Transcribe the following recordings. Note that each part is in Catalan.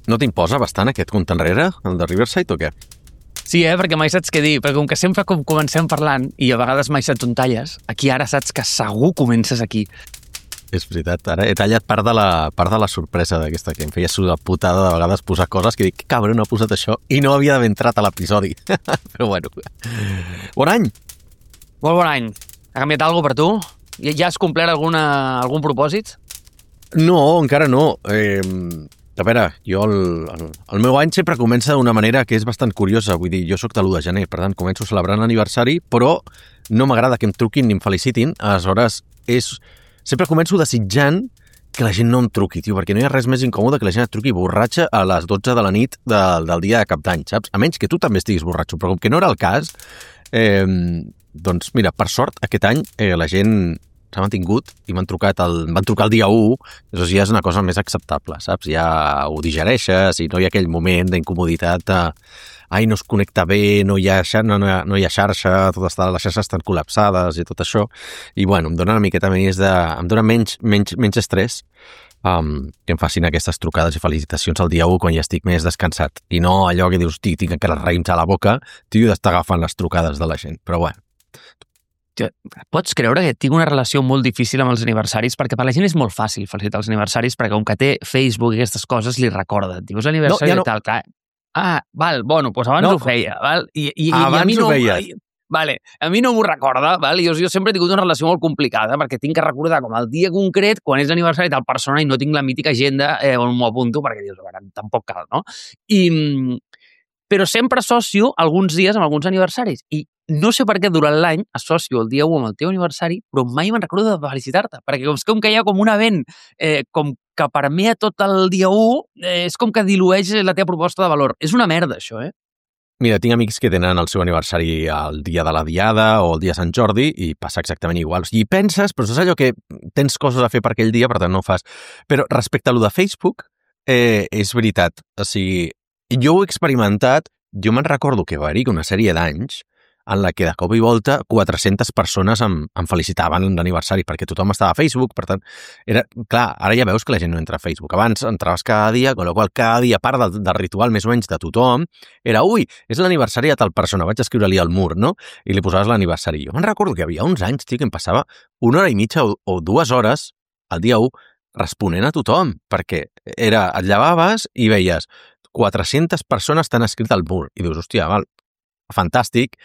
No t'imposa bastant aquest compte enrere, el de Riverside, o què? Sí, perquè mai saps què dir, perquè com que sempre comencem parlant i a vegades mai saps on talles, aquí ara saps que segur comences aquí. És veritat, ara he tallat part de la sorpresa d'aquesta, que em feia sudar putada de vegades posar coses que dic, que cabron, ha posat això i no havia d'haver entrat a l'episodi. Però bueno, bon any! Molt bon any. Ha canviat alguna cosa per tu? Ja has complert algun propòsit? No, encara no. A veure, jo el meu any sempre comença d'una manera que és bastant curiosa. Vull dir, jo sóc de l'1 de gener, per tant, començo celebrant l'aniversari, però no m'agrada que em truquin ni em felicitin. Aleshores, sempre començo desitjant que la gent no em truqui, tio, perquè no hi ha res més incòmode que la gent et truqui borratxa a les 12 de la nit del dia de cap d'any, saps? A menys que tu també estiguis borratxo, però com que no era el cas, doncs mira, per sort, aquest any la gent s'ha mantingut i van trucar el dia 1, llavors ja és una cosa més acceptable, saps? Ja ho digereixes i no hi ha aquell moment d'incomoditat de no es connecta bé, no hi ha xarxa, les xarxes estan col·lapsades i tot això. I bueno, em dona una miqueta més em dona menys estrès que em facin aquestes trucades i felicitacions el dia 1 quan ja estic més descansat. I no allò que dius, tinc encara els raïms a la boca, tio, d'estar agafant les trucades de la gent. Però bueno. Pots creure que tinc una relació molt difícil amb els aniversaris? Perquè per la gent és molt fàcil felicitar els aniversaris perquè com que té Facebook i aquestes coses li recorda. Dius aniversari i tal, clar. Val, bueno, doncs abans ho feia, val? I a mi no... Vale, a mi no m'ho recorda, val? Jo sempre he tingut una relació molt complicada perquè tinc que recordar com el dia concret quan és l'aniversari tal persona i no tinc la mítica agenda on m'ho apunto perquè dius, tampoc cal, no? Però sempre associo alguns dies amb alguns aniversaris i no sé per què durant l'any associo el dia 1 amb el teu aniversari, però mai me'n recordo de felicitar-te, perquè com que hi ha com un event com que permea tot el dia 1, és com que dilueix la teva proposta de valor. És una merda, això, Mira, tinc amics que tenen el seu aniversari el dia de la Diada o el dia de Sant Jordi i passa exactament igual. I penses, però és allò que tens coses a fer per aquell dia, per tant no ho fas. Però respecte a lo de Facebook, és veritat. O sigui, jo ho he experimentat, jo me'n recordo que va haver-hi una sèrie d'anys en la que de cop i volta 400 persones em felicitaven l'aniversari perquè tothom estava a Facebook, per tant, clar, ara ja veus que la gent no entra a Facebook. Abans entraves cada dia, amb la qual cada dia, part del ritual més o menys de tothom, era, és l'aniversari de tal persona, vaig escriure-li al mur, no? I li posaves l'aniversari. Jo me'n recordo que hi havia uns anys, tio, que em passava 1 hora i mitja o 2 hores al dia 1 responent a tothom, perquè et llevaves i veies 400 persones t'han escrit al mur. I dius, hòstia, val, fantàstic.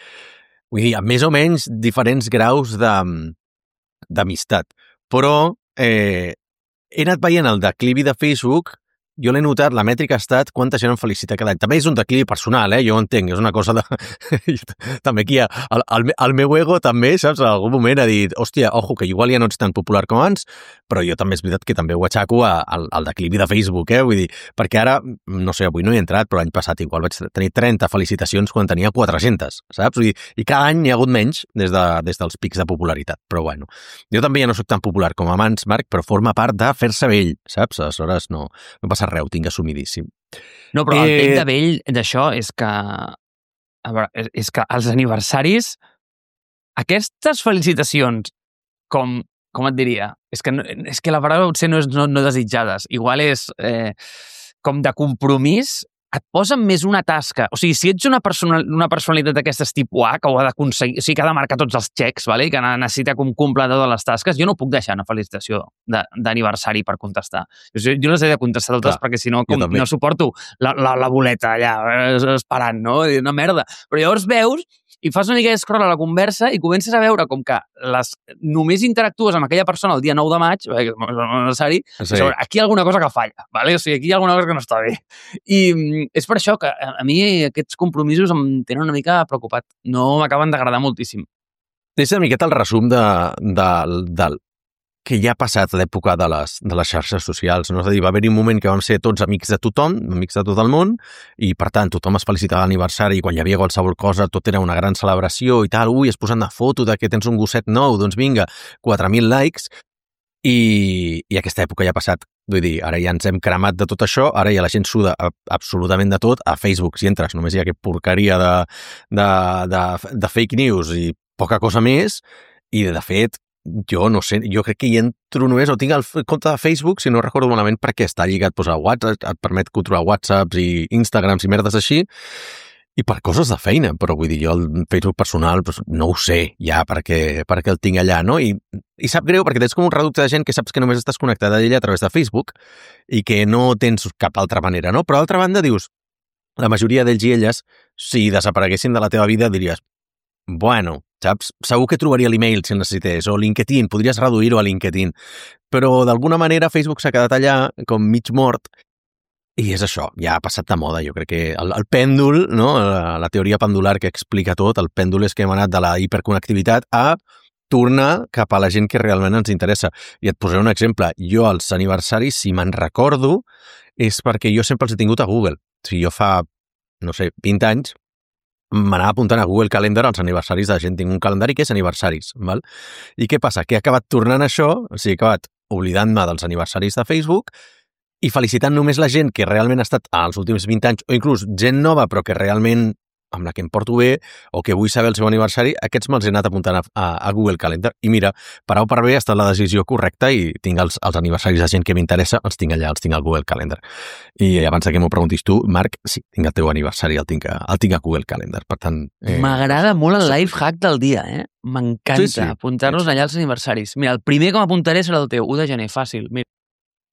Vull dir, amb més o menys diferents graus d'amistat. Però he anat veient el declivi de Facebook, jo l'he notat, la mètrica ha estat quanta gent em felicita cada any. També és un declivi personal, jo ho entenc, és una cosa de... també aquí, el meu ego també, saps, en algun moment ha dit, hòstia, ojo, que igual ja no ets tan popular com abans, però jo també és veritat que també ho aixaco al declivi de Facebook, vull dir, perquè ara, no sé, avui no hi he entrat, però l'any passat igual vaig tenir 30 felicitacions quan tenia 400, saps? Vull dir, i cada any n'hi ha hagut menys des dels pics de popularitat, però bueno. Jo també ja no soc tan popular com abans, Marc, però forma part de fer-se vell, saps? Aleshores no passa res, ho tinc assumidíssim. No, però el pell de vell d'això és que... A veure, és que els aniversaris, aquestes felicitacions, com et diria? És que la paraula potser no és no desitjades. Igual és com de compromís, et posen més una tasca. O sigui, si ets una personalitat d'aquestes tipus A, que ho ha d'aconseguir, o sigui, que ha de marcar tots els xecs, vale? Que necessita complir totes les tasques, jo no puc deixar una felicitació d'aniversari per contestar. Jo les he de contestar totes perquè si no no suporto la boleta allà esperant, no? Una merda. Però llavors veus i fas una mica d'escroll a la conversa i comences a veure com que només interactues amb aquella persona el dia 9 de maig, perquè és necessari, aquí hi ha alguna cosa que falla, vale? O sigui, aquí hi ha alguna cosa que no està bé. I és per això que a mi aquests compromisos em tenen una mica preocupat. No m'acaben d'agradar moltíssim. És una miqueta el resum del que ja ha passat l'època de les xarxes socials. No? És a dir, va haver-hi un moment que vam ser tots amics de tothom, amics de tot el món, i per tant tothom es felicitava l'aniversari i quan hi havia qualsevol cosa tot era una gran celebració i tal. Es posen una foto de que tens un gosset nou, doncs vinga, 4.000 likes, i aquesta època ja ha passat. Vull dir, ara ja ens hem cremat de tot això, ara ja la gent suda absolutament de tot. A Facebook, si entres, només hi ha aquesta porqueria de fake news i poca cosa més, i de fet jo no sé, jo crec que hi entro només, o tinc el compte de Facebook, si no recordo malament, perquè està lligat a WhatsApp, et permet controlar WhatsApps i Instagrams i merdes així, i per coses de feina, però vull dir, jo el Facebook personal no ho sé ja perquè el tinc allà, no? I sap greu perquè tens com un reducte de gent que saps que només estàs connectada a ella a través de Facebook i que no tens cap altra manera, no? Però d'altra banda dius, la majoria d'ells i elles, si desapareguessin de la teva vida, diries, bueno, saps? Segur que trobaria l'email si el necessités, o LinkedIn, podries reduir-ho a LinkedIn, però d'alguna manera Facebook s'ha quedat allà com mig mort. I és això, ja ha passat de moda. Jo crec que el pèndol, no? La teoria pendular que explica tot, el pèndol és que hem anat de la hiperconnectivitat a tornar cap a la gent que realment ens interessa. I et posaré un exemple. Jo, als aniversaris, si me'n recordo, és perquè jo sempre els he tingut a Google. O sigui, jo fa, no sé, 20 anys, m'anava apuntant a Google Calendar als aniversaris de la gent. Tinc un calendari que és aniversaris, val? I què passa? Que he acabat tornant això, o sigui, he acabat oblidant-me dels aniversaris de Facebook i felicitant només la gent que realment ha estat als últims 20 anys, o inclús gent nova però que realment amb la que em porto bé o que vull saber el seu aniversari, aquests me'ls he anat apuntant a Google Calendar. I mira, per A o per B ha estat la decisió correcta i tinc els aniversaris de gent que m'interessa, els tinc allà, els tinc al Google Calendar. I abans que m'ho preguntis tu, Marc, sí, tinc el teu aniversari, el tinc a Google Calendar. Per tant... M'agrada molt el life hack del dia, eh? M'encanta sí. apuntar-nos allà als aniversaris. Mira, el primer que m'apuntaré serà el teu, 1 de gener, fàcil.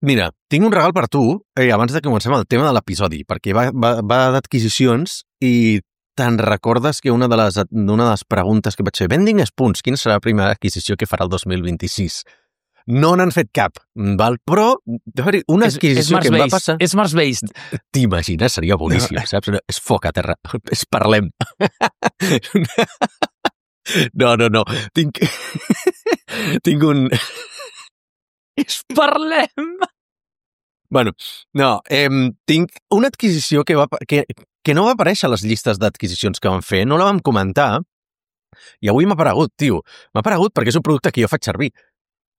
Mira, tinc un regal per tu, abans de que comencem el tema de l'episodi, perquè va d'adquisicions i te'n recordes que una de les preguntes que vaig fer, Vending Spoons, quina serà la primera adquisició que farà el 2026? No n'han fet cap, val? Però una adquisició que em va passar... És Mars-based. T'imagines? Seria boníssim, saps? És foc a terra. És parlem. No. Tinc un... És parlem! Bueno, no, tinc una adquisició que no va aparèixer a les llistes d'adquisicions que vam fer, no la vam comentar, i avui m'ha aparegut, tio. M'ha aparegut perquè és un producte que jo faig servir.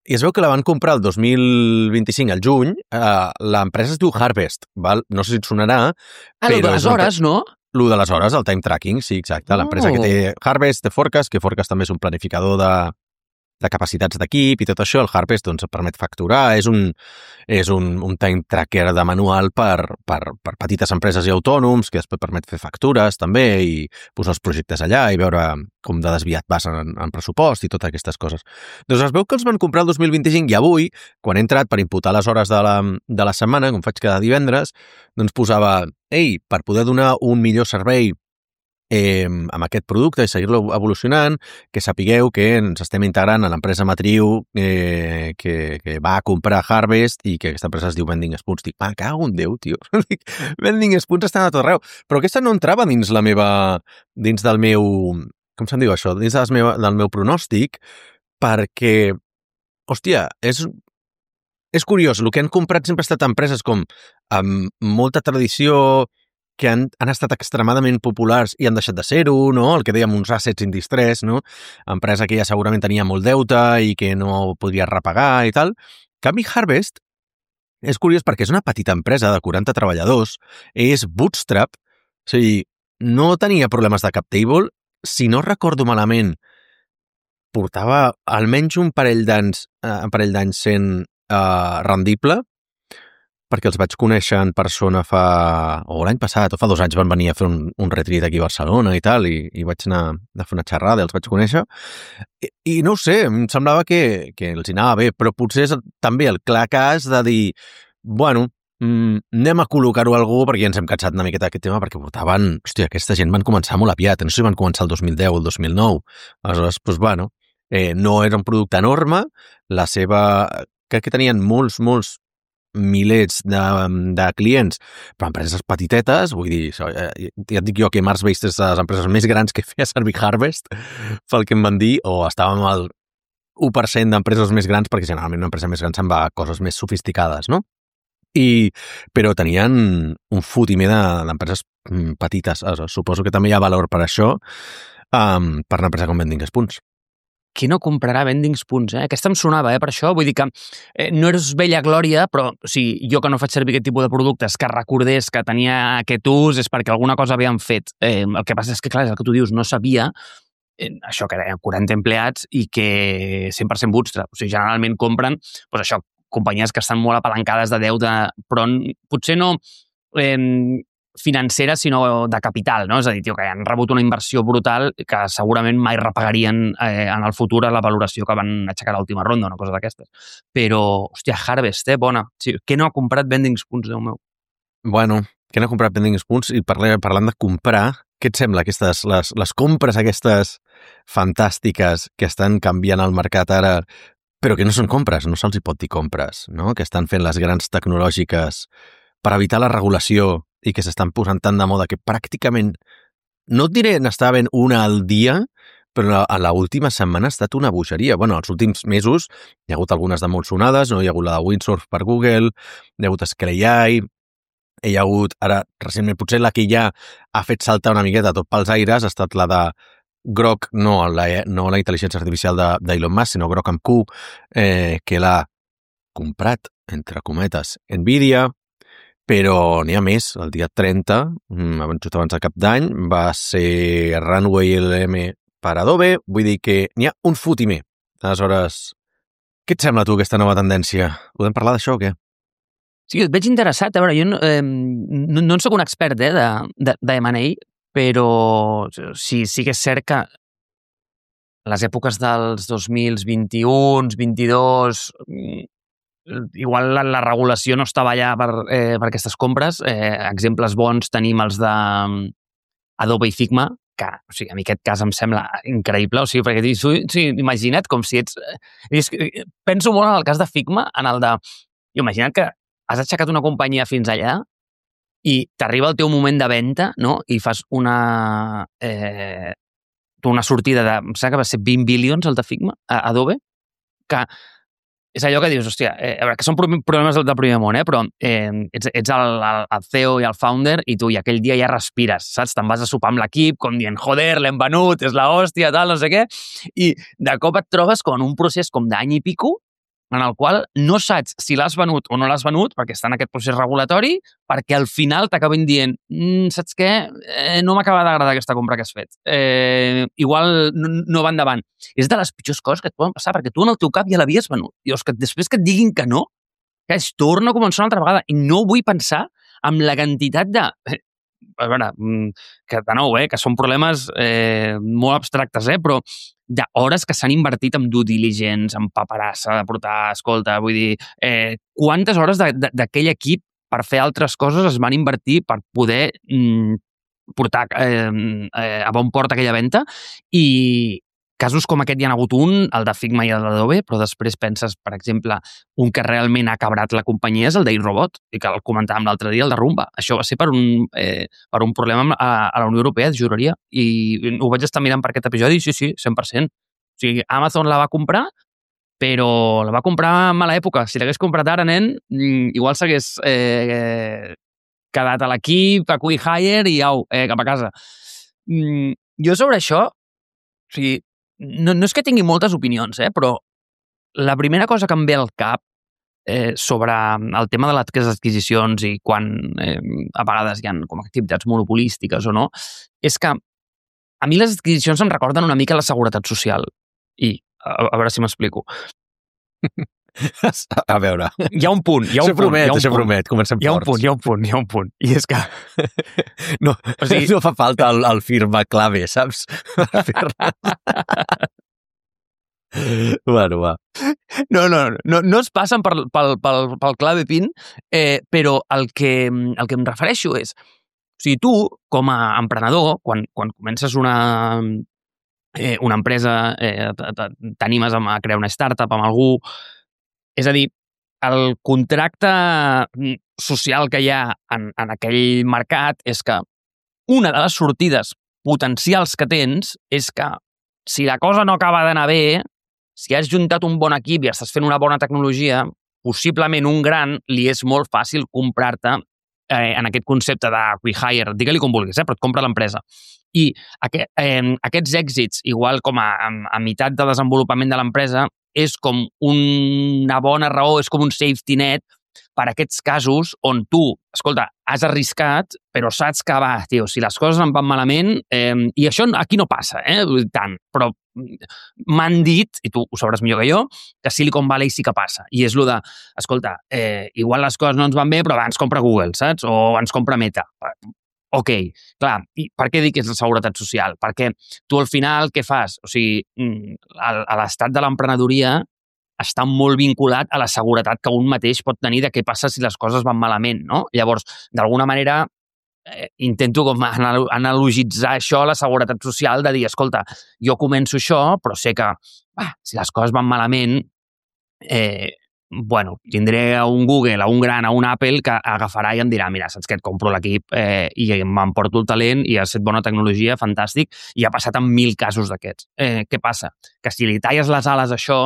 I es veu que la van comprar el 2025, al juny, l'empresa es diu Harvest, val? No sé si et sonarà... Lo de les hores, no? Lo de les hores, el time tracking, sí, exacte. L'empresa que té Harvest, té Forecast, que Forecast també és un planificador de capacitats d'equip i tot això. El Harvest doncs, permet facturar, és un time tracker de manual per petites empreses i autònoms, que després permet fer factures també i posar els projectes allà i veure com de desviat vas en pressupost i totes aquestes coses. Doncs es veu que els van comprar el 2025 i avui, quan he entrat per imputar les hores de la setmana, com faig cada divendres, doncs posava, per poder donar un millor servei amb aquest producte i seguir-lo evolucionant, que sapigueu que ens estem integrant a l'empresa matriu que va comprar Harvest i que aquesta empresa es diu Vending Spoons. Dic, cago en Déu, tio. Vending Spoons estan a tot arreu. Però aquesta no entrava dins del meu... Com se'n diu això? Dins del meu pronòstic, perquè, hòstia, és curiós. El que han comprat sempre ha estat empreses com amb molta tradició, que han estat extremadament populars i han deixat de ser-ho, no? El que dèiem, uns assets in distress, no? Empresa que ja segurament tenia molt deute i que no podria repagar i tal. En canvi, Harvest és curiós perquè és una petita empresa de 40 treballadors, és bootstrap, o sigui, no tenia problemes de cap table, si no recordo malament, portava almenys un parell d'anys sent rendible, perquè els vaig conèixer en persona o l'any passat, o fa 2 anys van venir a fer un retreat aquí a Barcelona i tal, i vaig anar a fer una xerrada i els vaig conèixer. I no ho sé, em semblava que els hi anava bé, però potser és també el clar cas de dir, bueno, anem a col·locar-ho a algú perquè ja ens hem cansat una miqueta d'aquest tema, perquè portaven... Hòstia, aquesta gent van començar molt aviat, no sé si van començar el 2010 o el 2009. Aleshores, doncs, bueno, no era un producte enorme, crec que tenien molts milers de clients, però empreses petitetes, vull dir, ja et dic jo que Mars-based és de les empreses més grans que feia servir Harvest, pel que em van dir, o estàvem al 1% d'empreses més grans, perquè generalment una empresa més gran se'n va a coses més sofisticades, no? Però tenien un fotimer d'empreses petites. Suposo que també hi ha valor per això, per una empresa com Vending Spoons. Qui no comprarà Vending Spoons, eh? Aquesta em sonava, per això. Vull dir que no eres vella glòria, però jo que no faig servir aquest tipus de productes, que recordés que tenia aquest ús, és perquè alguna cosa havien fet. El que passa és que, clar, és el que tu dius, no sabia això que eren 40 empleats i que 100% bootstrap. O sigui, generalment compren, doncs això, companyies que estan molt apalancades de deute, però potser no financera, sinó de capital, no? És a dir, que han rebut una inversió brutal que segurament mai repagarien en el futur a la valoració que van aixecar a l'última ronda, una cosa d'aquestes. Però, hòstia, Harvest, bona. Sí, què no ha comprat Vending Spoons, Déu meu? Bueno, què no ha comprat Vending Spoons? I parlant de comprar, què et sembla aquestes, les compres aquestes fantàstiques que estan canviant el mercat ara, però que no són compres, no se'ls hi pot dir compres, no? Que estan fent les grans tecnològiques per evitar la regulació i que s'estan posant tan de moda que pràcticament, no et diré n'estava ben una al dia, però a l'última setmana ha estat una bogeria. Bueno, els últims mesos hi ha hagut algunes de molt sonades, no? Hi ha hagut la de Windsurf per Google, hi ha hagut Scalei, hi ha hagut, ara, recentment, potser la que ja ha fet saltar una miqueta tot pels aires ha estat la de Grok, no la intel·ligència artificial d'Elon Musk, sinó Grok amb Q, que l'ha comprat, entre cometes, Nvidia, però n'hi ha més. El dia 30, just abans de cap d'any, va ser Runway LM per Adobe, vull dir que n'hi ha un fotimer. Aleshores, què et sembla tu aquesta nova tendència? Podem parlar d'això o què? Sí, et veig interessat. A veure, jo no en soc un expert de M&A, però sí que és cert que les èpoques dels 2021, 22, igual la regulació no estava allà per aquestes compres. Exemples bons tenim els de Adobe i Figma, que, o sigui, a mi aquest cas em sembla increïble, o sigui, perquè imagina't com si ets... Penso molt en el cas de Figma, en el de... Imagina't que has aixecat una companyia fins allà i t'arriba el teu moment de venda, no? I fas una sortida de... Em sembla que va ser 20 bilions el de Figma, a Adobe, que és allò que dius, hòstia, a veure, que són problemes del primer món, però ets el CEO i el founder i tu i aquell dia ja respires, saps? Te'n vas a sopar amb l'equip com dient, joder, l'hem venut, és la hòstia, tal, no sé què, i de cop et trobes com en un procés com d'any i pico en el qual no saps si l'has venut o no l'has venut, perquè està en aquest procés regulatori, perquè al final t'acaben dient, saps què? No m'acaba d'agradar aquesta compra que has fet. Igual no va endavant. És de les pitjors coses que et poden passar, perquè tu en el teu cap ja l'havies venut. I que després que et diguin que no, que es torna a començar una altra vegada. I no vull pensar amb la quantitat de... A veure, que de nou, que són problemes molt abstractes, però d'hores que s'han invertit en due diligence, en paperassa, de portar, escolta, vull dir, quantes hores d'aquell equip per fer altres coses es van invertir per poder portar a bon port aquella venda, i casos com aquest hi ha hagut un, el de Figma i el d'Adobe, però després penses, per exemple, un que realment ha cabrat la companyia és el d'Irobot, i que el comentàvem l'altre dia, el de Rumba. Això va ser per un problema a la Unió Europea, juraria, i ho vaig estar mirant per aquest episodi, sí, 100%. O sigui, Amazon la va comprar, però la va comprar en mala època. Si l'hagués comprat ara, nen, igual s'hagués quedat a l'equip, a Quick Hire i au, cap a casa. Jo sobre això, o sigui, no és que tingui moltes opinions, però la primera cosa que em ve al cap sobre el tema de les adquisicions i quan a vegades hi ha com activitats monopolístiques o no, és que a mi les adquisicions em recorden una mica la seguretat social. I, a veure si m'explico. A veure. Hi ha un punt. Això promet, comencem forts. Hi ha un punt. I és que... No fa falta el firma clave, saps? Bueno, va. No es passen pel clave PIN, però el que em refereixo és, o sigui, tu, com a emprenedor, quan comences una empresa, t'animes a crear una startup amb algú, és a dir, el contracte social que hi ha en aquell mercat és que una de les sortides potencials que tens és que si la cosa no acaba d'anar bé, si has juntat un bon equip i estàs fent una bona tecnologia, possiblement un gran li és molt fàcil comprar-te en aquest concepte de quick hire, digue-li com vulguis, però et compra l'empresa. I aquests èxits, igual com a meitat de desenvolupament de l'empresa, és com una bona raó, és com un safety net per aquests casos on tu, escolta, has arriscat, però saps que va, tio, si les coses em van malament, i això aquí no passa, tant, però m'han dit, i tu ho sabràs millor que jo, que Silicon Valley sí que passa. I és el de, escolta, igual les coses no ens van bé, però va, ens compra Google, saps? O ens compra Meta. Ok, clar, i per què dic que és la seguretat social? Perquè tu al final què fas? O sigui, a l'estat de l'emprenedoria està molt vinculat a la seguretat que un mateix pot tenir de què passa si les coses van malament, no? Llavors, d'alguna manera, intento com analogitzar això a la seguretat social de dir, escolta, jo començo això, però sé que si les coses van malament, tindré a un Google, a un gran, a un Apple que agafarà i em dirà, mira, saps què, et compro l'equip i m'emporto el talent i has fet bona tecnologia, fantàstic, i ha passat en 1000 casos d'aquests. Què passa? Que si li talles les ales a això,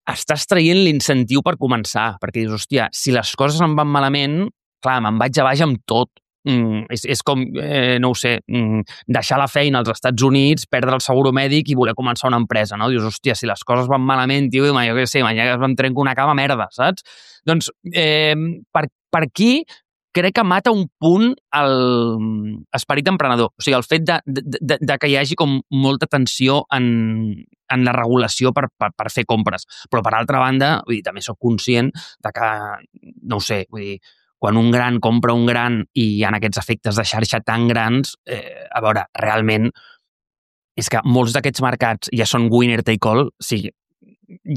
estàs traient l'incentiu per començar, perquè dius, hòstia, si les coses em van malament, clar, me'n vaig a baix amb tot. És com, no ho sé, deixar la feina als Estats Units, perdre el seguro mèdic i voler començar una empresa, no? Dius, hòstia, si les coses van malament, tio, jo què sé, ja em trenco una cama, merda, saps? Doncs, per aquí crec que mata un punt l'esperit emprenedor. O sigui, el fet de que hi hagi com molta tensió en la regulació per fer compres. Però, per altra banda, vull dir, també soc conscient de que, no ho sé, vull dir, quan un gran compra un gran i hi ha aquests efectes de xarxa tan grans, a veure, realment és que molts d'aquests mercats ja són winner take all, o sigui,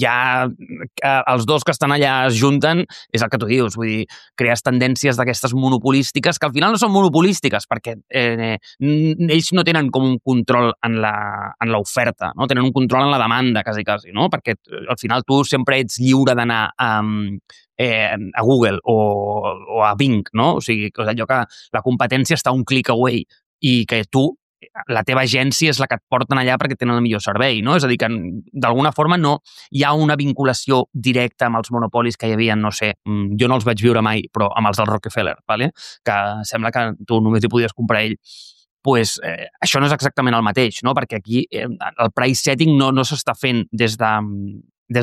ja els dos que estan allà es junten, és el que tu dius, vull dir, crees tendències d'aquestes monopolístiques que al final no són monopolístiques perquè ells no tenen com un control en l'oferta, no? Tenen un control en la demanda, quasi, no? Perquè al final tu sempre ets lliure d'anar a Google o a Bing, no? O sigui, allò que la competència està un click away i que tu, la teva agència és la que et porten allà perquè tenen el millor servei, no? És a dir, que d'alguna forma no hi ha una vinculació directa amb els monopolis que hi havia, no sé, jo no els vaig viure mai, però amb els del Rockefeller, ¿vale? Que sembla que tu només hi podies comprar ell. Pues, això no és exactament el mateix, no? Perquè aquí el price setting no s'està fent des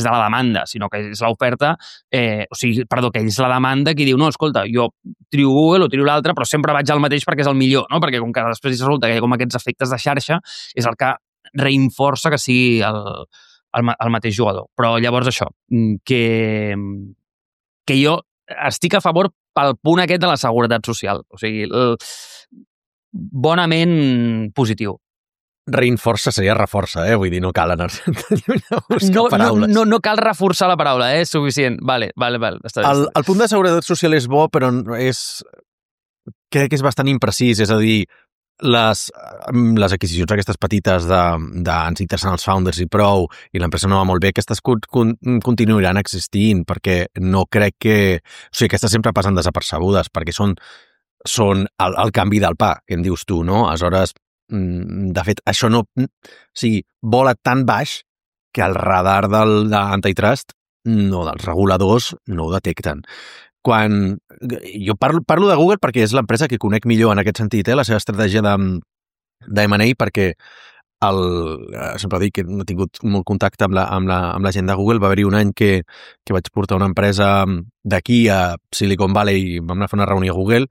de la demanda, sinó que és l'oferta, que és la demanda qui diu, no, escolta, jo trio Google o trio l'altre, però sempre vaig al mateix perquè és el millor, no? Perquè com que després resulta que hi ha com aquests efectes de xarxa, és el que reinforça que sigui el mateix jugador. Però llavors això, que jo estic a favor pel punt aquest de la seguretat social. O sigui, bonament positiu. Reinforça seria reforça, vull dir, no cal anar a buscar paraules. No cal reforçar la paraula, és suficient. Vale. Està bé. El punt de seguretat social és bo, però crec que és bastant imprecís, és a dir, les adquisicions aquestes petites ens interessen els founders i prou, i l'empresa no va molt bé, aquestes continuaran existint, perquè no crec que... O sigui, aquestes sempre passen desapercebudes, perquè són el canvi del pa, que en dius tu, no? Aleshores, de fet, això no... O sigui, vola tan baix que el radar d'antitrust, no, dels reguladors, no ho detecten. Quan jo parlo de Google perquè és l'empresa que conec millor en aquest sentit, la seva estratègia de M&A, perquè sempre dic que no he tingut molt contacte amb la gent de Google. Va haver-hi un any que vaig portar una empresa d'aquí a Silicon Valley i vam anar a fer una reunió a Google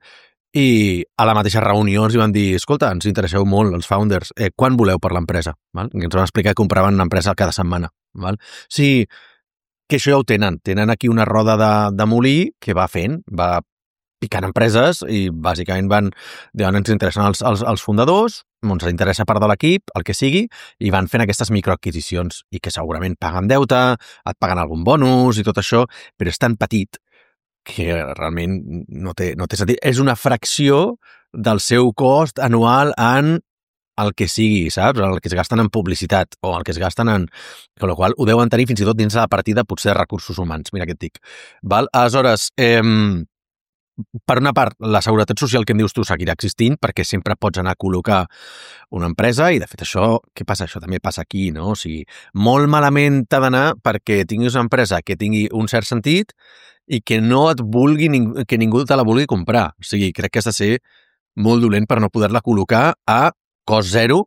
i a la mateixa reunió ens van dir, escolta, ens interesseu molt els founders, quan voleu per l'empresa? Val? I ens van explicar que compraven una empresa cada setmana. Val? Sí, que això ja ho tenen. Tenen aquí una roda de molí que va fent, va picant empreses i bàsicament ens interessen els fundadors, ens interessa part de l'equip, el que sigui, i van fent aquestes microadquisicions i que segurament paguen deute, et paguen algun bonus i tot això, però és tan petit que realment no té sentit. És una fracció del seu cost anual en el que sigui, saps? El que es gasten en publicitat o el que es gasten en... Amb la qual ho deuen tenir fins i tot dins de la partida potser de recursos humans. Mira què et dic. Val? Aleshores, per una part, la seguretat social que em dius tu seguirà existint perquè sempre pots anar a col·locar una empresa i, de fet, això, què passa? Això també passa aquí, no? O sigui, molt malament t'ha d'anar perquè tinguis una empresa que tingui un cert sentit i que no et vulgui, que ningú te la vulgui comprar. O sigui, crec que has de ser molt dolent per no poder-la col·locar a cost zero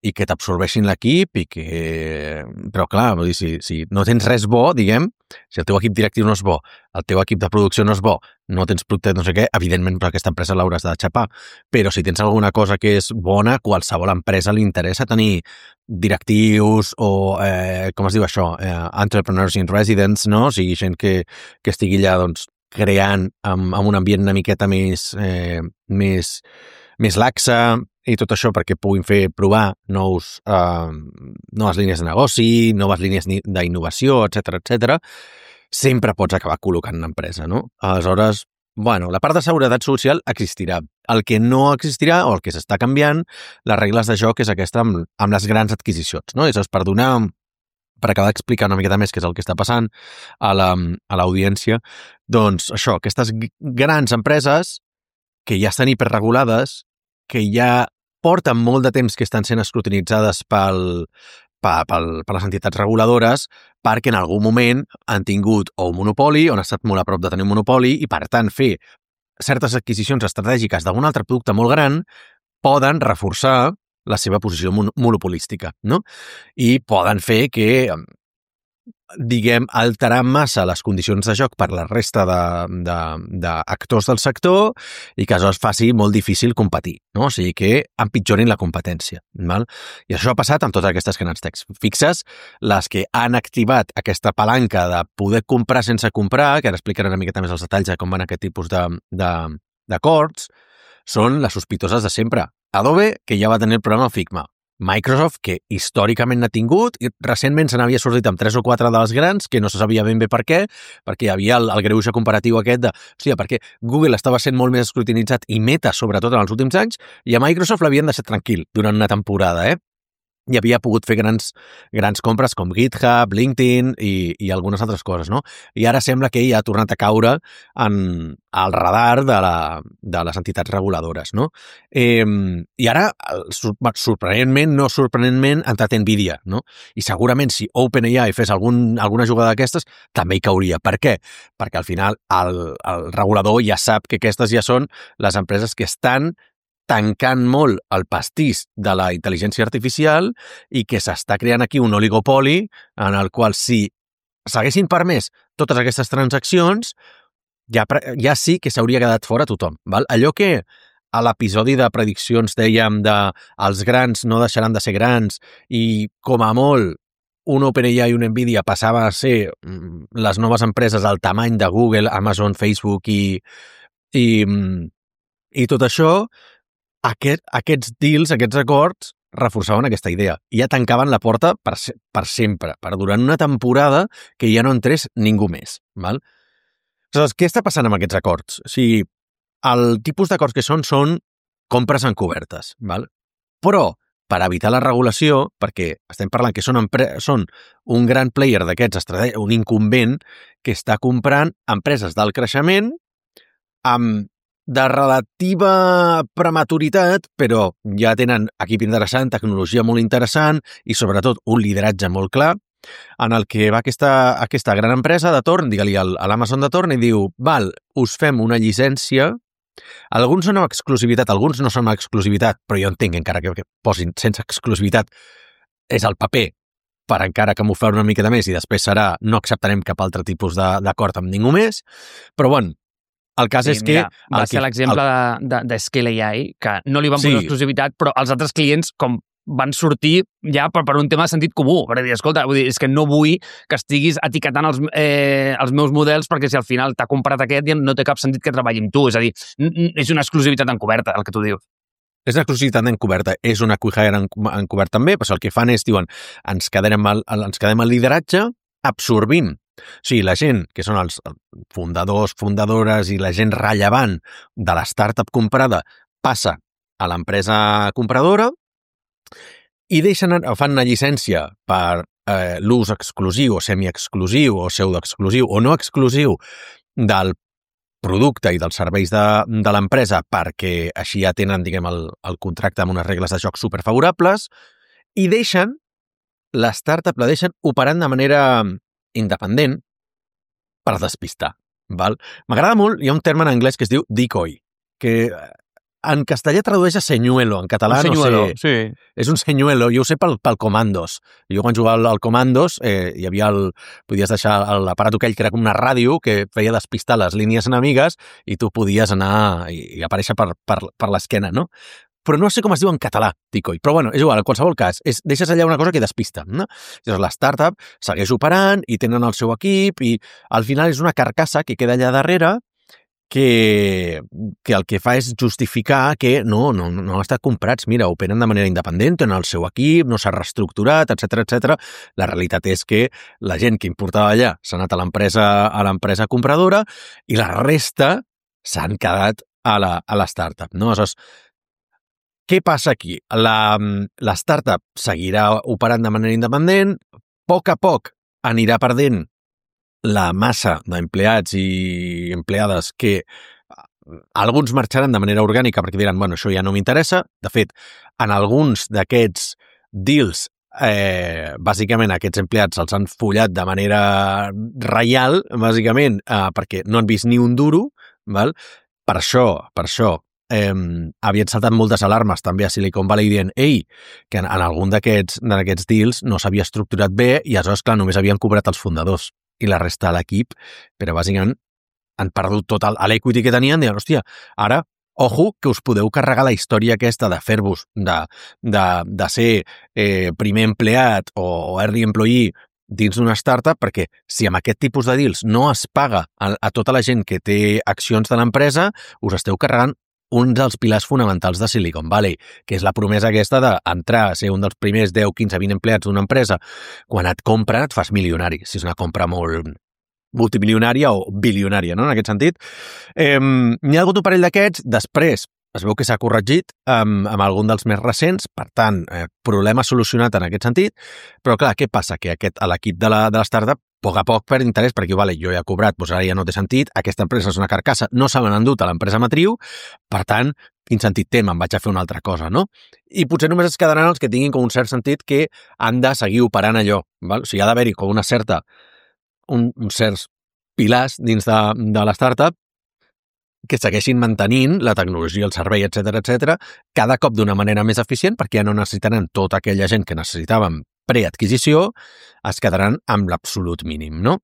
i que t'absorbeixin l'equip i que... Però clar, vull dir, si no tens res bo, diguem, Si el teu equip directiu no és bo, el teu equip de producció no és bo, no tens producte no sé què, evidentment per aquesta empresa l'hauràs de xapar. Però si tens alguna cosa que és bona, qualsevol empresa li interessa tenir directius o, com es diu això, entrepreneurs in residence, no? O sigui, gent que estigui allà, doncs, creant amb un ambient una miqueta més laxa i tot això perquè puguin fer provar noves línies de negoci, noves línies d'innovació, etc. Sempre pots acabar col·locant una empresa, no? Aleshores, bueno, la part de seguretat social existirà. El que no existirà, o el que s'està canviant, les regles de joc és aquesta amb les grans adquisicions, no? És per acabar d'explicar una miqueta més què és el que està passant a l'audiència, doncs això, aquestes grans empreses que ja estan hiperregulades, que ja porten molt de temps que estan sent escrutinitzades per les entitats reguladores perquè en algun moment han tingut o un monopoli, o han estat molt a prop de tenir un monopoli, i per tant fer certes adquisicions estratègiques d'algun altre producte molt gran poden reforçar la seva posició monopolística, no? I poden fer que, diguem, alterar massa les condicions de joc per la resta d'actors del sector i que això es faci molt difícil competir, no? O sigui, que empitjorin la competència, val? I això ha passat amb totes aquestes grans techs. Fixes, les que han activat aquesta palanca de poder comprar sense comprar, que ara explicaré una miqueta més els detalls de com van aquest tipus d'acords, són les sospitoses de sempre. Adobe, que ja va tenir el programa Figma. Microsoft, que històricament n'ha tingut, i recentment se n'havia sortit amb 3 o 4 de les grans, que no se sabia ben bé per què, perquè hi havia el greuge comparatiu aquest de, hòstia, perquè Google estava sent molt més escrutinitzat i Meta, sobretot en els últims anys, i a Microsoft l'havien deixat tranquil durant una temporada, i havia pogut fer grans compres com GitHub, LinkedIn i algunes altres coses, no? I ara sembla que ell ha tornat a caure al radar de les entitats reguladores, no? I ara, sorprenentment, no sorprenentment, ha entrat Nvidia, no? I segurament si OpenAI fes alguna jugada d'aquestes, també hi cauria. Per què? Perquè al final el regulador ja sap que aquestes ja són les empreses que estan tancant molt el pastís de la intel·ligència artificial i que s'està creant aquí un oligopoli en el qual si s'haguessin permès totes aquestes transaccions ja sí que s'hauria quedat fora tothom. Val? Allò que a l'episodi de prediccions dèiem els grans no deixaran de ser grans i com a molt un OpenAI i un Nvidia passava a ser les noves empreses al tamany de Google, Amazon, Facebook i tot això, aquests deals, aquests acords, reforçaven aquesta idea. I ja tancaven la porta per sempre, per durant una temporada que ja no entrés ningú més. Val? Aleshores, què està passant amb aquests acords? O sigui, el tipus d'acords que són compres encobertes. Val? Però, per evitar la regulació, perquè estem parlant que són un gran player d'aquests, un incumbent que està comprant empreses d'alt creixement amb de relativa prematuritat, però ja tenen equip interessant, tecnologia molt interessant i sobretot un lideratge molt clar, en el que va aquesta gran empresa de torn, digue-li a l'Amazon de torn, i diu, val, us fem una llicència, alguns són amb exclusivitat, alguns no són amb exclusivitat, però jo entenc encara que posin sense exclusivitat és el paper per encara camuflar una miqueta més i després serà no acceptarem cap altre tipus d'acord amb ningú més, però bueno, el cas és que... Va ser l'exemple de Scale AI, que no li van posar exclusivitat, però els altres clients com van sortir ja per un tema de sentit comú, per dir, escolta, és que no vull que estiguis etiquetant els meus models perquè si al final t'ha comprat aquest ja no té cap sentit que treballi amb tu, és a dir, és una exclusivitat encoberta, el que tu dius. És una exclusivitat encoberta, és una acquihire encobert també, però el que fan és, diuen, ens quedem al lideratge absorbint. O sigui, la gent, que són els fundadors, fundadores i la gent rellevant de la startup comprada, passa a l'empresa compradora i fan una llicència per l'ús exclusiu o semiexclusiu o pseudoexclusiu o no exclusiu del producte i dels serveis de l'empresa perquè així ja tenen, diguem, el contracte amb unes regles de joc superfavorables i la startup la deixen operant de manera independent per despistar. Val? M'agrada molt, hi ha un terme en anglès que es diu decoy, que en castellà tradueix a senyuelo, en català no sé. Sí. És un senyuelo, jo ho sé pel Comandos. Jo quan jugava al Comandos hi havia podies deixar l'aparat aquell que era com una ràdio que feia despistar les línies enemigues i tu podies anar i aparèixer per l'esquena, no? Però no sé com es diu en català, Ticoi. Però bueno, és igual, en qualsevol cas, deixes allà una cosa que despista, no? Llavors la startup segueix operant i tenen el seu equip i al final és una carcassa que queda allà darrere que el que fa és justificar que no han estat comprats, mira, operen de manera independent, tenen el seu equip, no s'ha reestructurat, etc. La realitat és que la gent que importava allà s'ha anat a l'empresa compradora i la resta s'han quedat a la startup, no? Aleshores, què passa aquí? La startup seguirà operant de manera independent, a poc anirà perdent la massa d'empleats i empleades que alguns marxaran de manera orgànica perquè diran, bueno, això ja no m'interessa. De fet, en alguns d'aquests deals, bàsicament aquests empleats els han follat de manera reial, bàsicament, perquè no han vist ni un duro, val? Per això, havien saltat moltes alarmes també a Silicon Valley dient que en algun d'aquests deals no s'havia estructurat bé i aleshores, clar, només havien cobrat els fundadors i la resta de l'equip, però bàsicament han perdut tot l'equity que tenien, diuen, hòstia, ara, ojo, que us podeu carregar la història aquesta de fer-vos, de ser primer empleat o early employee dins d'una startup, perquè si amb aquest tipus de deals no es paga a tota la gent que té accions de l'empresa, us esteu carregant un dels pilars fonamentals de Silicon Valley, que és la promesa aquesta d'entrar a ser un dels primers 10, 15, 20 empleats d'una empresa. Quan et compren, et fas milionari, si és una compra molt multimilionària o bilionària, no?, en aquest sentit. N'hi ha hagut un parell d'aquests, després es veu que s'ha corregit amb algun dels més recents, per tant, problema solucionat en aquest sentit, però clar, què passa? Que l'equip de la startup a poc perd interès, perquè vale, jo ja he cobrat, doncs ara ja no té sentit, aquesta empresa és una carcassa, no se l'han endut a l'empresa matriu, per tant, quin sentit té? Me'n vaig a fer una altra cosa, no? I potser només es quedaran els que tinguin com un cert sentit que han de seguir operant allò, val? O sigui, ha d'haver-hi com uns certs pilars dins de la startup que segueixin mantenint la tecnologia, el servei, etc, cada cop d'una manera més eficient, perquè ja no necessitaran tota aquella gent que necessitàvem preadquisició, es quedaran amb l'absolut mínim, no?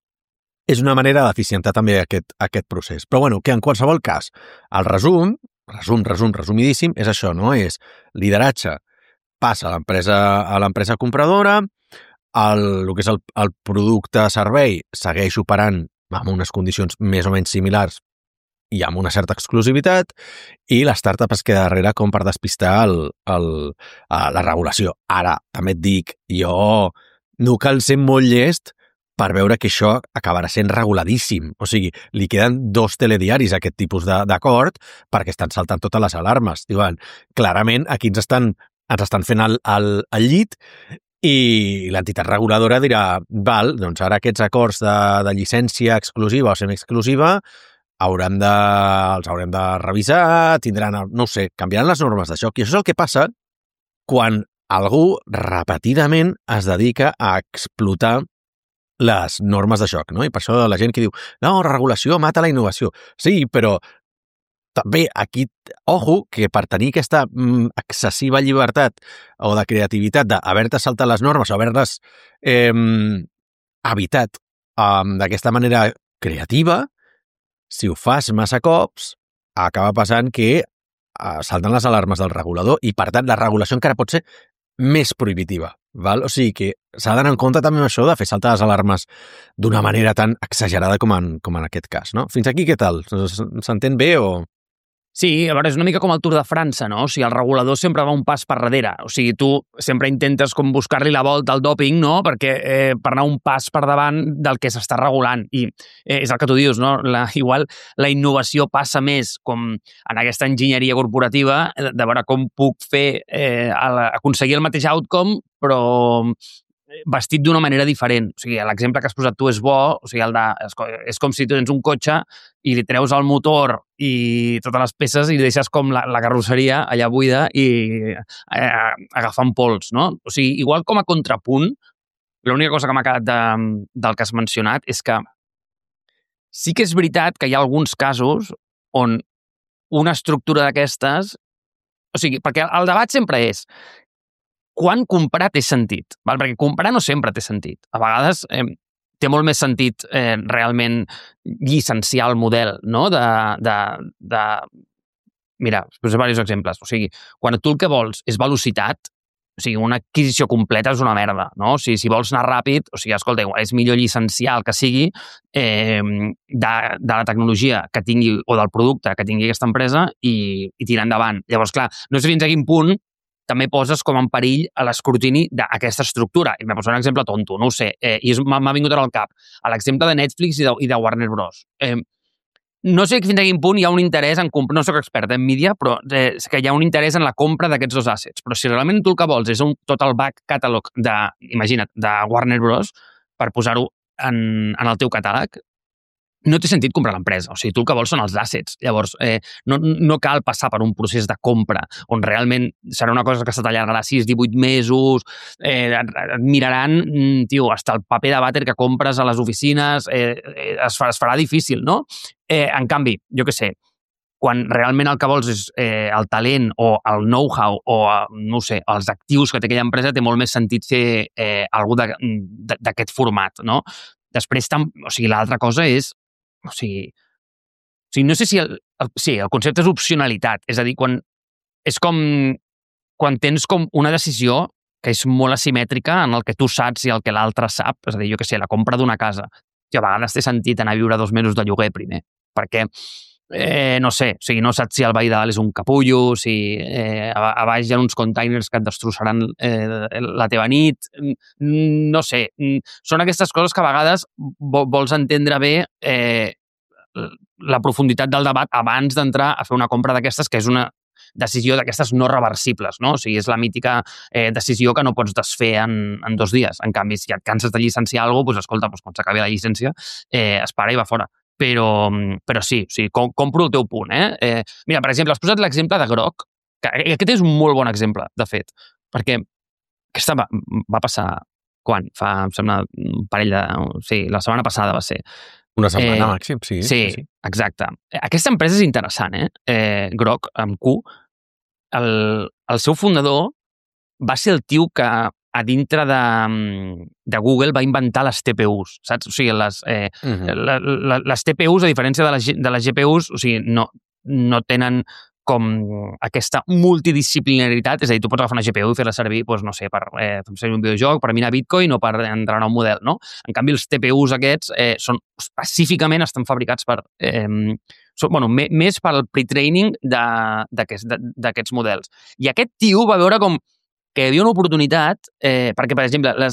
És una manera d'eficientar també aquest procés. Però bueno, que en qualsevol cas, el resumidíssim, és això, no? És lideratge, passa a l'empresa compradora, el que és el producte servei segueix operant amb unes condicions més o menys similars i amb una certa exclusivitat, i la startup es queda darrere com per despistar la regulació. Ara, també et dic, jo no cal ser molt llest per veure que això acabarà sent reguladíssim. O sigui, li queden 2 telediaris a aquest tipus d'acord perquè estan saltant totes les alarmes. Diuen, clarament, aquí ens estan fent el llit i l'entitat reguladora dirà, val, doncs ara aquests acords de llicència exclusiva o semiexclusiva els haurem de revisar, no ho sé, canviaran les normes de joc. I això és el que passa quan algú repetidament es dedica a explotar les normes de joc, no? I per això la gent que diu, no, la regulació mata la innovació. Sí, però també aquí, ojo, que per tenir aquesta excessiva llibertat o de creativitat d'haver-te saltat les normes o haver-les evitat d'aquesta manera creativa, si ho fas massa cops, acaba passant que salten les alarmes del regulador i, per tant, la regulació encara pot ser més prohibitiva. Val? O sigui que s'ha d'anar en compte també amb això de fer saltar les alarmes d'una manera tan exagerada com en aquest cas, no? Fins aquí què tal? S'entén bé o...? Sí, a veure, és una mica com el Tour de França, no? O sigui, el regulador sempre va un pas per darrere. O sigui, tu sempre intentes com buscar-li la volta al dòping, no? Perquè per anar un pas per davant del que s'està regulant. I és el que tu dius, no? Igual la innovació passa més com en aquesta enginyeria corporativa de veure com puc fer aconseguir el mateix outcome, però vestit d'una manera diferent. O sigui, l'exemple que has posat tu és bo, o sigui, és com si tu tens un cotxe i li treus el motor i totes les peces i deixes com la carrosseria allà buida i agafant pols, no? O sigui, igual com a contrapunt, l'única cosa que m'ha quedat del que has mencionat és que sí que és veritat que hi ha alguns casos on una estructura d'aquestes... O sigui, perquè el debat sempre és quan comprar té sentit, val? Perquè comprar no sempre té sentit. A vegades té molt més sentit realment llicenciar el model, no? Mira, us posaré diversos exemples. O sigui, quan tu el que vols és velocitat, o sigui, una adquisició completa és una merda, no? O sigui, si vols anar ràpid, o sigui, escolta, és millor llicenciar el que sigui de la tecnologia que tingui o del producte que tingui aquesta empresa i tirar endavant. Llavors, clar, no sé fins a quin punt també poses com en perill a l'escrutini d'aquesta estructura. I m'ha posat un exemple tonto, no ho sé, i m'ha vingut ara al cap. A l'exemple de Netflix i de Warner Bros. No sé fins a quin punt hi ha un interès en comprar, no soc expert en mídia, però és que hi ha un interès en la compra d'aquests dos assets. Però si realment tu el que vols és tot el back catalog imagina't, de Warner Bros. Per posar-ho en el teu catàleg, no té sentit comprar l'empresa. O sigui, tu el que vols són els assets. Llavors, no cal passar per un procés de compra on realment serà una cosa que se t'allargarà 6-18 mesos, et miraran, tio, hasta el paper de vàter que compres a les oficines, es farà difícil, no? En canvi, jo què sé, quan realment el que vols és el talent o el know-how o, no sé, els actius que té aquella empresa, té molt més sentit fer alguna cosa d'aquest format, no? Després, o sigui, l'altra cosa és o sigui, no sé si el concepte és opcionalitat, és a dir, és com quan tens com una decisió que és molt asimètrica en el que tu saps i el que l'altre sap, és a dir, jo què sé, la compra d'una casa, que a vegades té sentit anar a viure 2 mesos de lloguer primer, perquè no sé, o sigui, no saps si el veí de dalt és un capullo, si a baix hi ha uns containers que et destrossaran la teva nit, no sé, són aquestes coses que a vegades vols entendre bé la profunditat del debat abans d'entrar a fer una compra d'aquestes, que és una decisió d'aquestes no reversibles, no? O sigui, és la mítica decisió que no pots desfer en 2 dies. En canvi, si et canses de llicenciar alguna cosa, doncs escolta, quan s'acabi la llicència, es para i va fora. Però sí, o sigui, compro el teu punt, mira, per exemple, has posat l'exemple de Grok, que aquest és un molt bon exemple, de fet, perquè aquesta va passar, quan? Fa, em sembla, un parell de... Sí, la setmana passada va ser. Una setmana màxim, sí. Sí, exacte. Aquesta empresa és interessant, Grok, amb Q. El seu fundador va ser el tio que a dintre de Google va inventar les TPUs, saps? O sigui, les TPUs, a diferència de les GPUs, o sigui, no tenen com aquesta multidisciplinaritat, és a dir, tu pots agafar una GPU i fer-la servir, doncs, no sé, per fer servir un videojoc, per minar Bitcoin o per entrenar un model, no? En canvi, els TPUs aquests són específicament, estan fabricats per... més per al pre-training d'aquests models. I aquest tio va veure com que hi havia una oportunitat, perquè, per exemple, o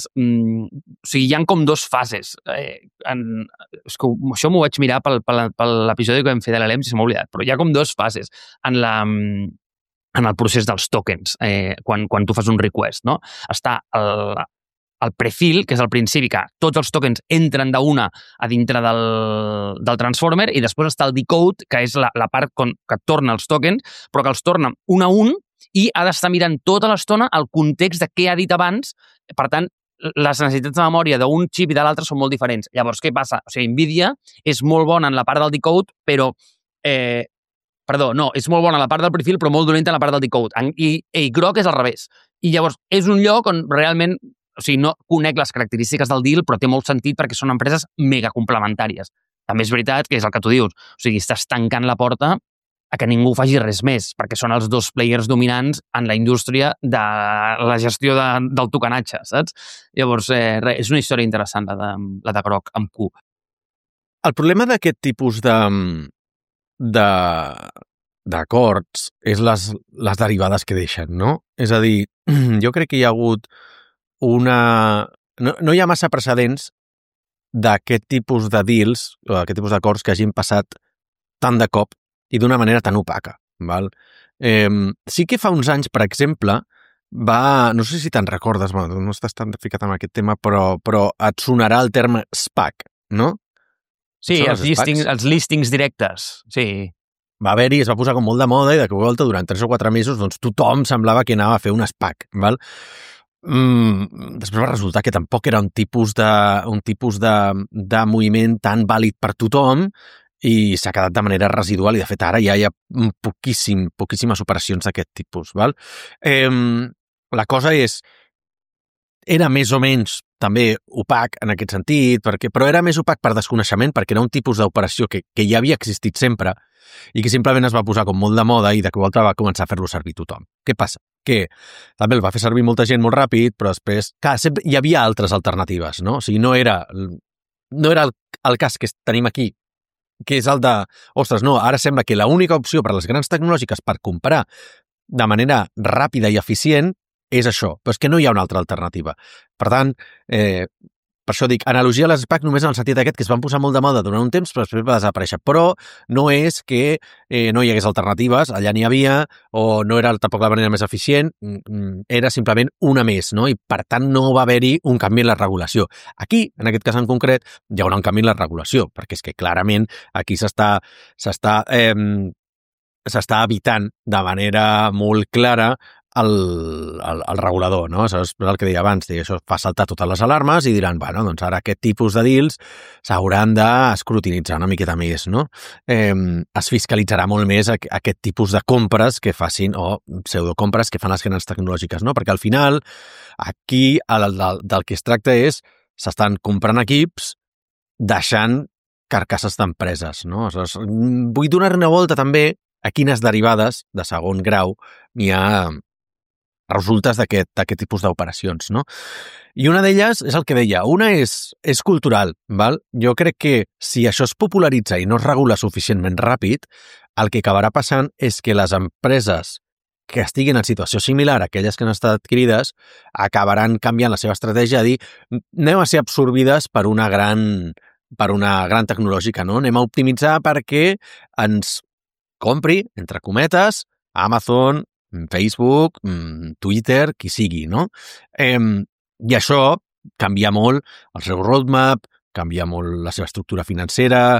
sigui, hi ha com 2 fases. És que això m'ho vaig mirar per l'episodi que vam fer de l'ELEM, si se m'ha oblidat, però hi ha com 2 fases en el procés dels tokens, quan tu fas un request, no? Està el prefill, que és al principi, que tots els tokens entren d'una a dintre del transformer, i després està el decode, que és la part que torna els tokens, però que els torna un a un, i ha d'estar mirant tota l'estona el context de què ha dit abans. Per tant, les necessitats de memòria d'un xip i de l'altre són molt diferents. Llavors, què passa? O sigui, NVIDIA és molt bona en la part del decode, però... és molt bona en la part del perfil, però molt dolenta en la part del decode. I Grok és al revés. I llavors, és un lloc on realment... O sigui, no conec les característiques del deal, però té molt sentit perquè són empreses mega complementàries. També és veritat que és el que tu dius. O sigui, estàs tancant la porta a que ningú faci res més, perquè són els 2 players dominants en la indústria de la gestió del tokenatge, saps? Llavors, és una història interessant, la de Grok amb Q. El problema d'aquest tipus d'acords és les derivades que deixen, no? És a dir, jo crec que hi ha hagut no hi ha massa precedents d'aquest tipus de deals, o d'aquest tipus d'acords que hagin passat tant de cop i d'una manera tan opaca. Val? Sí que fa uns anys, per exemple, no sé si te'n recordes, no estàs tan ficat en aquest tema, però et sonarà el terme SPAC, no? Sí, els listings directes, sí. Va haver-hi, es va posar com molt de moda i de cop volta durant 3 o 4 mesos doncs tothom semblava que anava a fer un SPAC, val? Després va resultar que tampoc era un tipus de moviment tan vàlid per tothom i s'ha quedat de manera residual i de fet ara ja hi ha poquíssimes operacions d'aquest tipus. Val? La cosa és, era més o menys també opac en aquest sentit, però era més opac per desconeixement, perquè era un tipus d'operació que ja havia existit sempre i que simplement es va posar com molt de moda i de cop volta va començar a fer-lo servir tothom. Què passa? Que també el va fer servir molta gent molt ràpid, però després, clar, sempre hi havia altres alternatives, no? O sigui, no era el cas que tenim aquí, que és el de, ostres, no, ara sembla que l'única opció per a les grans tecnològiques per comprar de manera ràpida i eficient és això, però és que no hi ha una altra alternativa. Per tant, per això dic, analogia a les SPAC només en el sentit aquest que es van posar molt de moda durant un temps però després va desaparèixer. Però no és que no hi hagués alternatives, allà n'hi havia, o no era tampoc la manera més eficient, era simplement una més, no? I per tant no va haver-hi un canvi en la regulació. Aquí, en aquest cas en concret, hi haurà un canvi en la regulació, perquè és que clarament aquí s'està evitant de manera molt clara el regulador, no? Això és el que deia abans, això fa saltar totes les alarmes i diran, bueno, doncs ara aquest tipus de deals s'hauran d'escrutinitzar una miqueta més, no? Es fiscalitzarà molt més aquest tipus de compres que facin, o pseudocompres que fan les grans tecnològiques, no? Perquè al final, aquí del que es tracta és, s'estan comprant equips deixant carcasses d'empreses, no? Aleshores, vull donar una volta també a quines derivades de segon grau n'hi ha resultes d'aquest tipus d'operacions, no? I una d'elles és el que deia, una és cultural, val? Jo crec que si això es popularitza i no es regula suficientment ràpid, el que acabarà passant és que les empreses que estiguin en situació similar a aquelles que han estat adquirides acabaran canviant la seva estratègia a dir, anem a ser absorbides per una gran tecnològica, no? Anem a optimitzar perquè ens compri, entre cometes, Amazon, Facebook, Twitter, qui sigui, no? I això canvia molt el seu roadmap, canvia molt la seva estructura financera,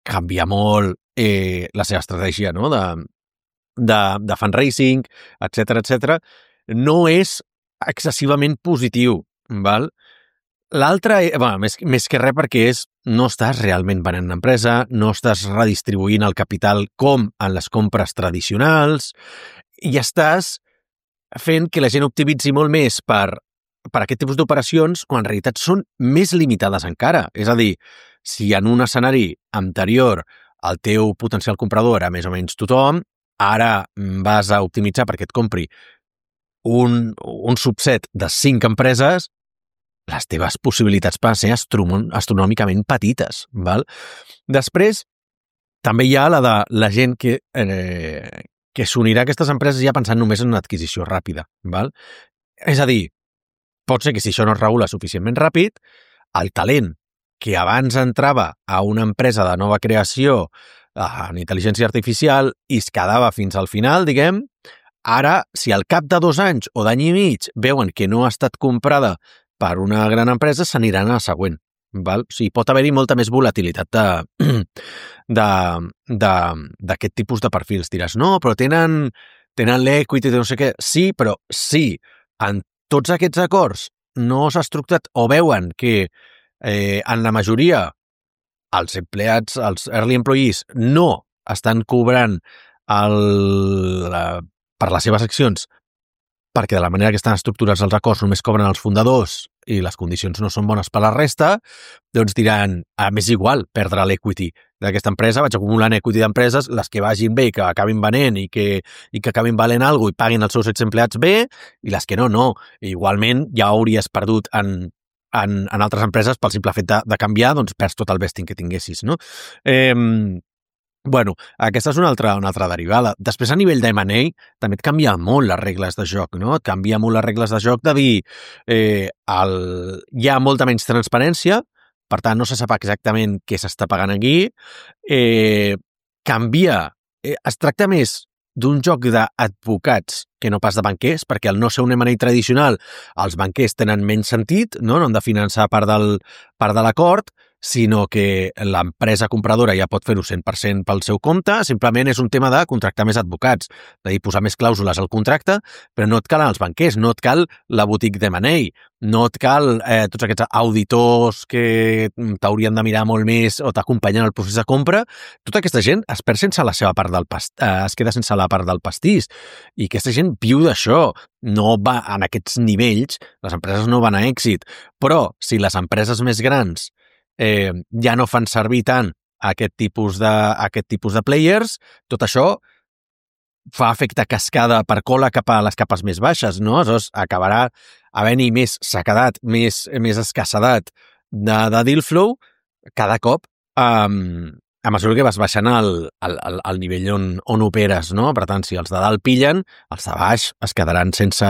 canvia molt la seva estratègia, no? de fundraising, etc. No és excessivament positiu, val? L'altre, més que res perquè no estàs realment venent l'empresa, no estàs redistribuint el capital com en les compres tradicionals i estàs fent que la gent optimitzi molt més per aquest tipus d'operacions quan en realitat són més limitades encara. És a dir, si en un escenari anterior el teu potencial comprador era més o menys tothom, ara vas a optimitzar perquè et compri un subset de 5 empreses, les teves possibilitats poden ser astronòmicament petites, val? Després, també hi ha la de la gent que s'unirà a aquestes empreses ja pensant només en una adquisició ràpida, val? És a dir, pot ser que si això no es regula suficientment ràpid, el talent que abans entrava a una empresa de nova creació en intel·ligència artificial i es quedava fins al final, diguem, ara, si al cap de 2 anys o d'any i mig veuen que no ha estat comprada per una gran empresa, s'aniran a la següent. Val? O sigui, pot haver-hi molta més volatilitat d'aquest tipus de perfils. Diràs, no, però tenen l'equity, no sé què. Sí, però sí, en tots aquests acords no s'ha estructurat o veuen que en la majoria els empleats, els early employees, no estan cobrant per les seves accions perquè de la manera que estan estructurats els acords només cobren els fundadors i les condicions no són bones per la resta, doncs diran, m'és igual perdre l'equity d'aquesta empresa, vaig acumulant equity d'empreses, les que vagin bé i que acabin venent i que acabin valent alguna cosa i paguin els seus empleats bé, i les que no. I igualment ja hauries perdut en altres empreses pel simple fet de canviar, doncs perds tot el vesting que tinguessis, no? Bueno, aquesta és una altra derivada. Després, a nivell d'M&A, també et canvia molt les regles de joc, no? Et canvia molt les regles de joc de dir hi ha molta menys transparència, per tant, no se sap exactament què s'està pagant aquí. Es tracta més d'un joc d'advocats que no pas de banquers, perquè al no ser un M&A tradicional, els banquers tenen menys sentit, no? No han de finançar part de l'acord, sinó que l'empresa compradora ja pot fer-ho 100% pel seu compte, simplement és un tema de contractar més advocats, de dir, posar més clàusules al contracte, però no et calen els banquers, no et cal la boutique d'M&A, no et cal tots aquests auditors que t'haurien de mirar molt més o t'acompanyen al procés de compra. Tota aquesta gent es perd sense la seva part es queda sense la part del pastís, i aquesta gent viu d'això, no va en aquests nivells, les empreses no van a èxit, però si les empreses més grans ja no fan servir tant aquest tipus de players, tot això fa efecte cascada per cola cap a les capes més baixes, no? Aleshores, acabarà havent-hi més sequedat, més escassedat de deal flow cada cop a mesura que vas baixant al nivell on operes, no? Per tant, si els de dalt pillen, els de baix es quedaran sense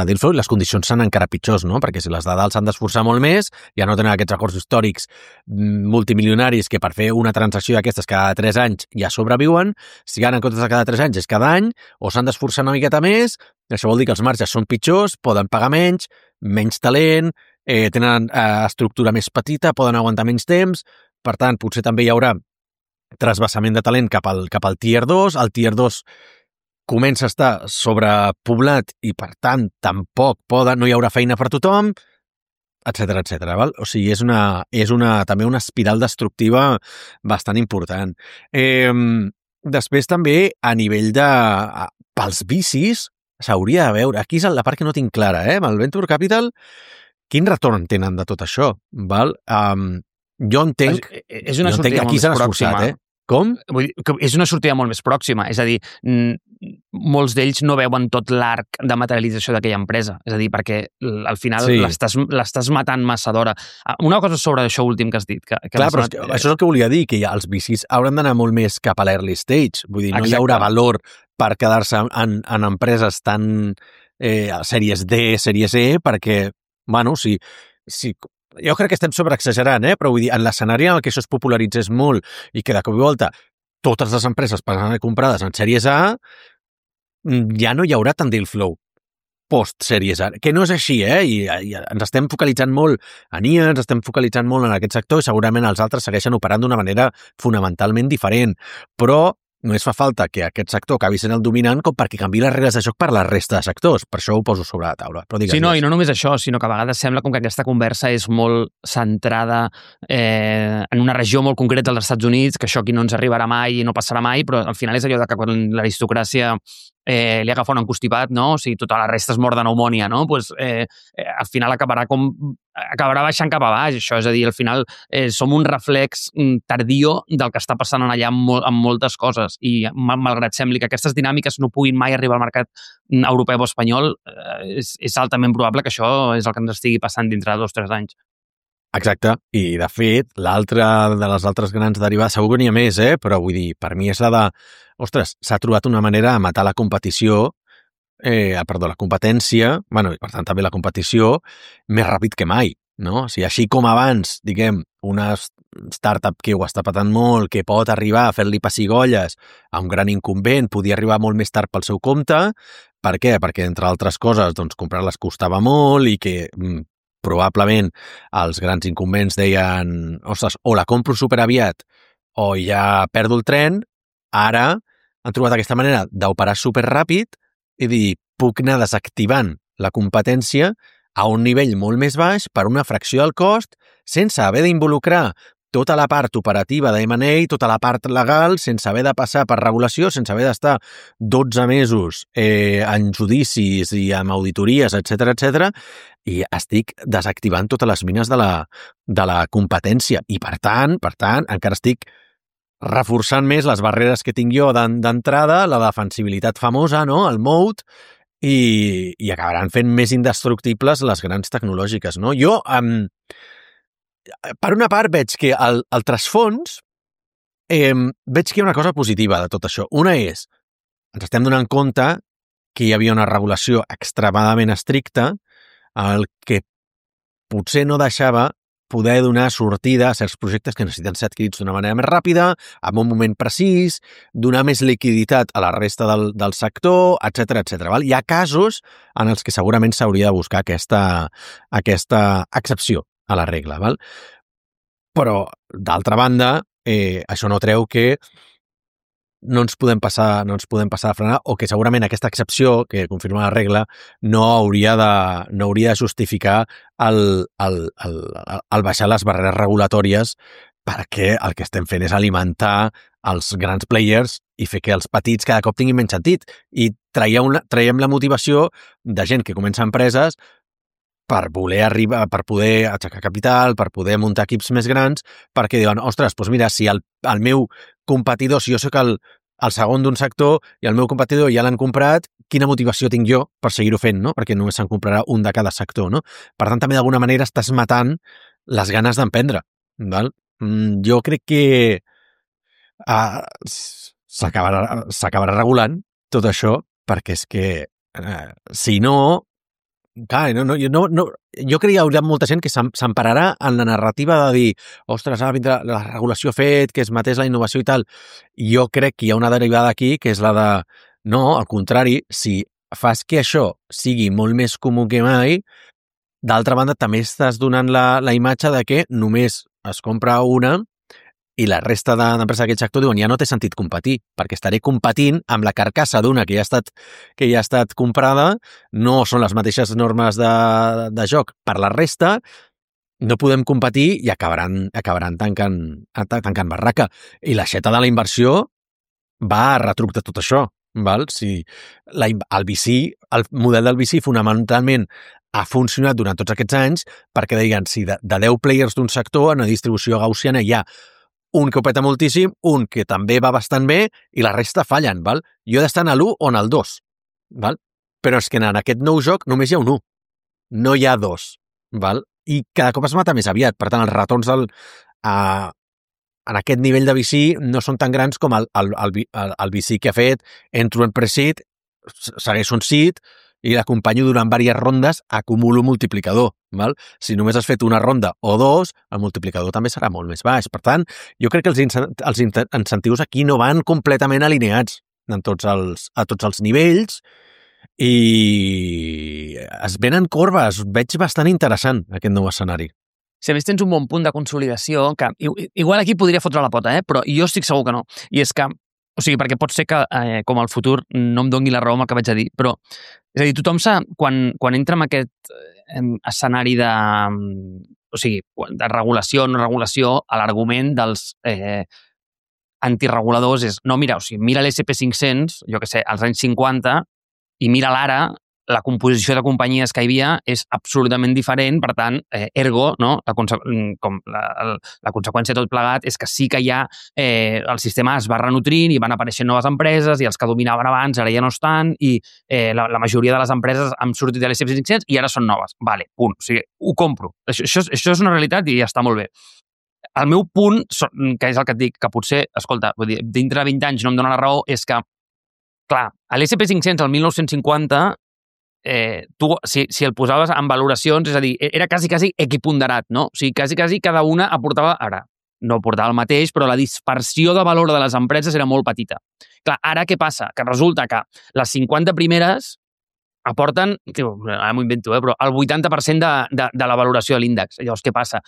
deal flow i les condicions seran encara pitjors, no? Perquè si les de dalt s'han d'esforçar molt més, ja no tenen aquests records històrics multimilionaris que per fer una transacció d'aquestes cada 3 anys ja sobreviuen, si ara en comptes de cada 3 anys és cada any, o s'han d'esforçar una miqueta més, això vol dir que els marges són pitjors, poden pagar menys talent, tenen estructura més petita, poden aguantar menys temps. Per tant, potser també hi haurà trasbassament de talent cap al Tier 2. El Tier 2 comença a estar sobrepoblat i, per tant, tampoc no hi haurà feina per tothom, etcètera, val? O sigui, és també una espiral destructiva bastant important. Després també, a nivell pels vicis, s'hauria de veure, aquí és la part que no tinc clara, amb el Venture Capital, quin retorn tenen de tot això, val? Jo entenc és una sortida molt més pròxima. Com? Vull dir que és una sortida molt més pròxima. És a dir, molts d'ells no veuen tot l'arc de materialització d'aquella empresa. És a dir, perquè al final l'estàs matant massa d'hora. Una cosa sobre això últim que has dit. Clar, però això és el que volia dir, que els VCs hauran d'anar molt més cap a l'early stage. Vull dir, no hi haurà valor per quedar-se en empreses tan sèries D, sèries E, perquè, bueno, si jo crec que estem sobreexagerant, però vull dir, en l'escenari en què això es popularitzés molt i que de cop i volta totes les empreses passaran comprades en sèries A, ja no hi haurà tant deal flow post-sèries A, que no és així, i ens estem focalitzant molt en IA, ens estem focalitzant molt en aquest sector i segurament els altres segueixen operant d'una manera fonamentalment diferent, però només fa falta que aquest sector acabi sent el dominant com perquè canviï les regles de joc per la resta de sectors. Per això ho poso sobre la taula. Però sí, no, i no només això, sinó que a vegades sembla com que aquesta conversa és molt centrada en una regió molt concreta dels Estats Units, que això aquí no ens arribarà mai i no passarà mai, però al final és allò de que quan l'aristocràcia li agafa un encostipat, no? O sigui, tota la resta es mor de pneumònia, no? Pues, al final acabarà baixant cap a baix, això. És a dir, al final som un reflex tardío del que està passant allà amb moltes coses i malgrat sembli que aquestes dinàmiques no puguin mai arribar al mercat europeu o espanyol, és altament probable que això és el que ens estigui passant dintre de 2 o 3 anys. Exacte, i de fet, l'altra de les altres grans derivades, segur que n'hi ha més, però vull dir, per mi és la de, ostres, s'ha trobat una manera de matar la competició, la competència, bueno, i per tant també la competició, més ràpid que mai, no? O sigui, així com abans, diguem, una startup que ho està patant molt, que pot arribar a fer-li pessigolles a un gran incumbent, podia arribar molt més tard pel seu compte. Per què? Perquè, entre altres coses, doncs, comprar-les costava molt i que probablement els grans incumbents deien, ostres, o la compro superaviat o ja perdo el tren. Ara han trobat aquesta manera d'operar superràpid i dir, puc anar desactivant la competència a un nivell molt més baix per una fracció del cost sense haver d'involucrar tota la part operativa de M&A, tota la part legal, sense haver de passar per regulació, sense haver d'estar 12 mesos en judicis i amb auditories, etcètera, i estic desactivant totes les mines de la competència. I per tant, encara estic reforçant més les barreres que tinc jo d'entrada, la defensibilitat famosa, no? El moat, i acabaran fent més indestructibles les grans tecnològiques, no? Jo, per una part, veig que el trasfons veig que hi ha una cosa positiva de tot això. Una és, ens estem donant compte que hi havia una regulació extremadament estricta, el que potser no deixava poder donar sortida a certs projectes que necessiten ser adquirits d'una manera més ràpida, en un moment precís, donar més liquiditat a la resta del sector, etcètera. Hi ha casos en els que segurament s'hauria de buscar aquesta excepció a la regla. Val? Però, d'altra banda, això no treu que no ens podem passar a frenar, o que segurament aquesta excepció que confirma la regla no hauria de justificar el baixar les barreres regulatòries, perquè el que estem fent és alimentar els grans players i fer que els petits cada cop tinguin menys sentit, i traiem la motivació de gent que comença empreses per voler arribar, per poder aixecar capital, per poder muntar equips més grans, perquè diuen, ostres, doncs mira, si el meu competidor, si jo sóc el segon d'un sector i el meu competidor ja l'han comprat, quina motivació tinc jo per seguir-ho fent, no? Perquè només se'n comprarà un de cada sector, no? Per tant, també d'alguna manera estàs matant les ganes d'emprendre, val? Jo crec que s'acabarà regulant tot això, perquè és que si no, clar, jo crec que hi haurà molta gent que s'empararà en la narrativa de dir, ostres, ara vindrà la regulació fet, que es matés la innovació i tal. Jo crec que hi ha una derivada aquí, que és la de, no, al contrari, si fas que això sigui molt més comú que mai, d'altra banda també estàs donant la imatge de que només es compra una i la resta d'empreses d'aquest sector diuen ja no té sentit competir, perquè estaré competint amb la carcassa d'una que ja ha estat comprada, no són les mateixes normes de joc per la resta, no podem competir i acabaran tancant barraca. I l'aixeta de la inversió va a retruc de tot això. Val? Si el model del VC fonamentalment ha funcionat durant tots aquests anys perquè deien, si de 10 players d'un sector en una distribució gaussiana hi ha un que ho peta moltíssim, un que també va bastant bé i la resta fallen, val? Jo he d'estar en l'1 o en el 2, val? Però és que en aquest nou joc només hi ha un 1, no hi ha 2, val? I cada cop es mata més aviat, per tant els retorns en aquest nivell de VC no són tan grans com el VC que ha fet, entro en pre-seed, segueixo un seed i l'acompanyo durant diverses rondes, acumulo multiplicador. Val? Si només has fet una ronda o dos, el multiplicador també serà molt més baix. Per tant, jo crec que els incentius aquí no van completament alineats a tots els nivells i es venen corbes. Veig bastant interessant aquest nou escenari. Si a més tens un bon punt de consolidació, que igual aquí podria fotre la pota, però jo estic segur que no. I és que, o sigui, perquè pot ser que com al futur no em doni la raó amb el que vaig a dir, però és a dir, tothom quan entra en aquest escenari de, o sigui, de regulació o no regulació, l'argument dels antireguladors és, no, mira, o sigui, mira l'SP500, jo què sé, als anys 50, i mira l'ara, la composició de companyies que hi havia és absolutament diferent, per tant, ergo, no? La conseqüència de tot plegat és que sí que hi ha, el sistema es va renutrint i van apareixent noves empreses i els que dominaven abans ara ja no estan i la majoria de les empreses han sortit de l'SP500 i ara són noves. Vale, punt. O sigui, ho compro. Això és una realitat i ja està molt bé. El meu punt, que és el que et dic, que potser, escolta, vull dir, dintre de 20 anys no em dona la raó, és que, clar, a l'SP500, el 1950, tu, si el posaves en valoracions, és a dir, era quasi equiponderat, no? O sigui, quasi cada una aportava, ara, no aportava el mateix, però la dispersió de valor de les empreses era molt petita. Clar, ara què passa? Que resulta que les 50 primeres aporten, ara m'ho invento, però el 80% de la valoració de l'índex. Llavors, què passa?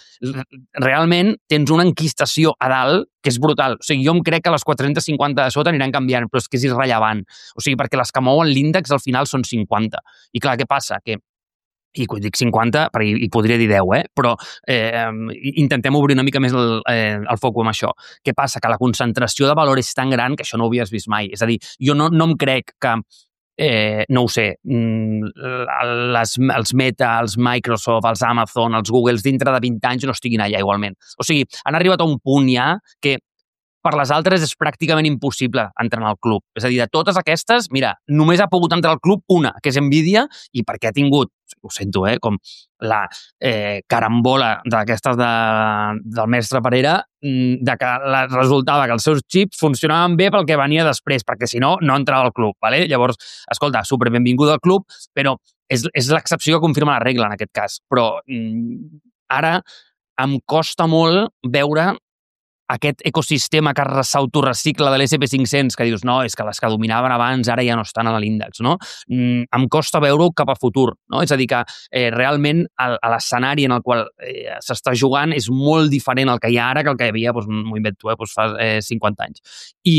Realment tens una enquistació a dalt que és brutal. O sigui, jo em crec que les 450 de sota aniran canviant, però és que és irrellevant. O sigui, perquè les que mouen l'índex al final són 50. I clar, què passa? Que i quan dic 50, perquè hi podria dir 10, però intentem obrir una mica més el foc amb això. Què passa? Que la concentració de valor és tan gran que això no ho havies vist mai. És a dir, jo no em crec que no ho sé, els Meta, els Microsoft, els Amazon, els Googles, dintre de 20 anys no estiguin allà igualment. O sigui, han arribat a un punt ja que per les altres és pràcticament impossible entrar al club. És a dir, de totes aquestes, mira, només ha pogut entrar al club una, que és Nvidia, i perquè ha tingut, ho sento, com la carambola d'aquestes del mestre Parera, de que resultava que els seus xips funcionaven bé pel que venia després, perquè si no, no entrava al club. ¿vale? Llavors, escolta, superbenvinguda al club, però és l'excepció que confirma la regla en aquest cas. Però ara em costa molt veure aquest ecosistema que s'autorecicla de l'SP500, que dius, no, és que les que dominaven abans ara ja no estan a l'índex, no? Em costa veure-ho cap a futur, no? És a dir, que realment l'escenari en el qual s'està jugant és molt diferent al que hi ha ara que el que hi havia, m'ho invento, fa 50 anys. I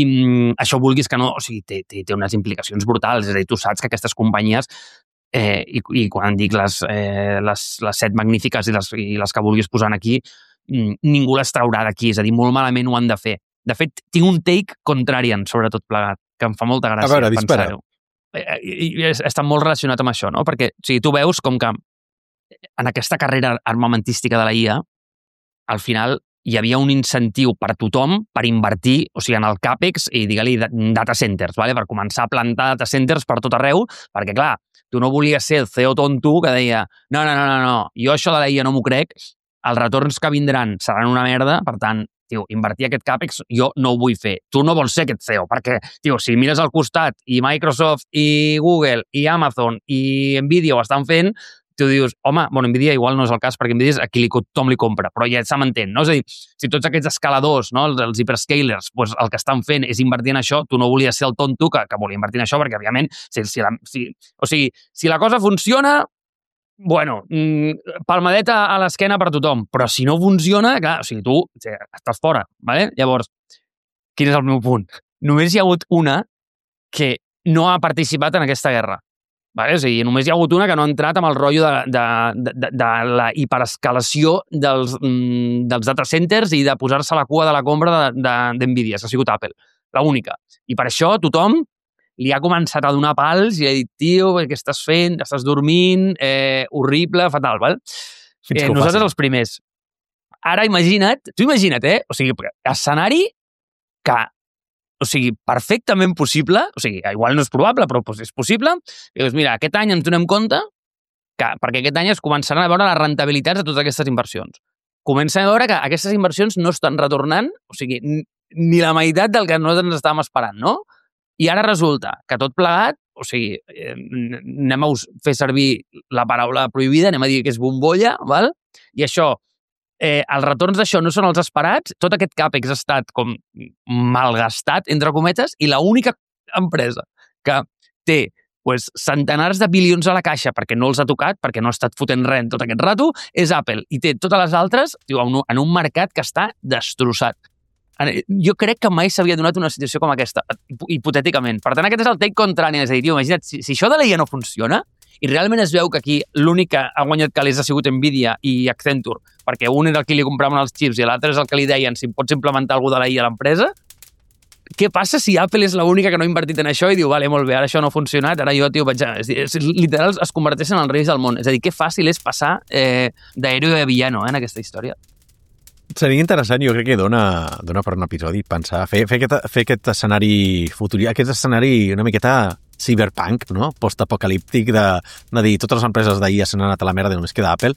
això vulguis que no, o sigui, té unes implicacions brutals, és a dir, tu saps que aquestes companyies i quan dic les 7 magnífiques i les que vulguis posar aquí, ningú les traurà d'aquí, és a dir, molt malament ho han de fer. De fet, tinc un take contrarian sobre tot plegat, que em fa molta gràcia pensar-ho. I està molt relacionat amb això, no? Perquè tu veus com que en aquesta carrera armamentística de la IA, al final hi havia un incentiu per tothom per invertir, o sigui, en el CAPEX i, digue-li, data centers, vale? Per començar a plantar data centers per tot arreu, perquè, clar, tu no volies ser el CEO tonto que deia no, jo això de la IA no m'ho crec, els retorns que vindran seran una merda, per tant, invertir aquest CAPEX jo no ho vull fer. Tu no vols ser aquest CEO, perquè, si mires al costat i Microsoft i Google i Amazon i Nvidia ho estan fent, tu dius, home, Nvidia igual no és el cas, perquè Nvidia és a qui tothom li compra, però ja se m'entén, no? És a dir, si tots aquests escaladors, no, els hyperscalers, el que estan fent és invertir en això, tu no volies ser el tonto que volia invertir en això, perquè, òbviament, si la cosa funciona, palmadeta a l'esquena per tothom, però si no funciona, clar, tu estàs fora, ¿vale? Llavors, quin és el meu punt? Només hi ha hagut una que no ha participat en aquesta guerra, ¿vale? O sigui, només hi ha hagut una que no ha entrat amb el rotllo de la hiperescalació dels data centers i de posar-se a la cua de la compra d'Nvidia, que ha sigut Apple, l'única. I per això tothom li ha començat a donar pals i ha dit, tio, què estàs fent? Estàs dormint? Horrible, fatal, val? Nosaltres els primers. Ara imagina't, o sigui, escenari que, o sigui, perfectament possible, o sigui, igual no és probable, però és possible, i dius, mira, aquest any ens donem compte que, perquè aquest any es començaran a veure les rentabilitats de totes aquestes inversions. Comencem a veure que aquestes inversions no estan retornant, o sigui, ni la meitat del que nosaltres estàvem esperant, no? I ara resulta que tot plegat, o sigui, anem a fer servir la paraula prohibida, anem a dir que és bombolla, val? I això, els retorns d'això no són els esperats, tot aquest CAPEX ha estat com malgastat, entre cometes, i l'única empresa que té centenars de bilions a la caixa perquè no els ha tocat, perquè no ha estat fotent res en tot aquest rato, és Apple. I té totes les altres en un mercat que està destrossat. Jo crec que mai s'havia donat una situació com aquesta, hipotèticament. Per tant, aquest és el take contrari. És a dir, imagina't, si això de l'IA no funciona i realment es veu que aquí l'únic que ha guanyat calés ha sigut Nvidia i Accenture, perquè un era el que li compraven els xips i l'altre és el que li deien si pots implementar alguna de la IA a l'empresa, què passa si Apple és l'única que no ha invertit en això i diu, vale, molt bé, ara això no ha funcionat, ara jo, vaig a... Literal, es converteixen en els reis del món. És a dir, que fàcil és passar d'héroe a villano en aquesta història. Seria interessant, jo crec que dona per un episodi pensar, fer aquest escenari futur, aquest escenari una miqueta cyberpunk, no? Post-apocalíptic de dir totes les empreses d'ahir s'han anat a la merda i només queda Apple.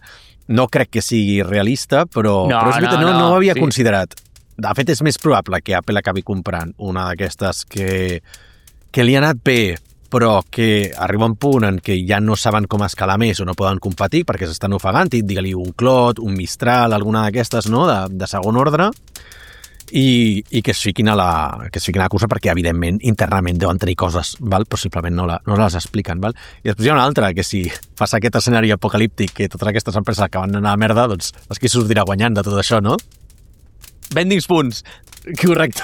No crec que sigui realista, però és veritat, no ho havia considerat. De fet, és més probable que Apple acabi comprant una d'aquestes que li ha anat bé, però que arriba un punt en què ja no saben com escalar més o no poden competir perquè s'estan ofegant, i digue-li un Cloud, un Mistral, alguna d'aquestes, no?, de segon ordre, i que es fiquin a la cursa perquè, evidentment, internament deuen tenir coses, val? Possiblement no les expliquen. Val? I després hi ha una altra, que si passa aquest escenari apocalíptic que totes aquestes empreses acaben d'anar a merda, doncs és qui sortirà guanyant de tot això, no? Vendings punts. Correcte.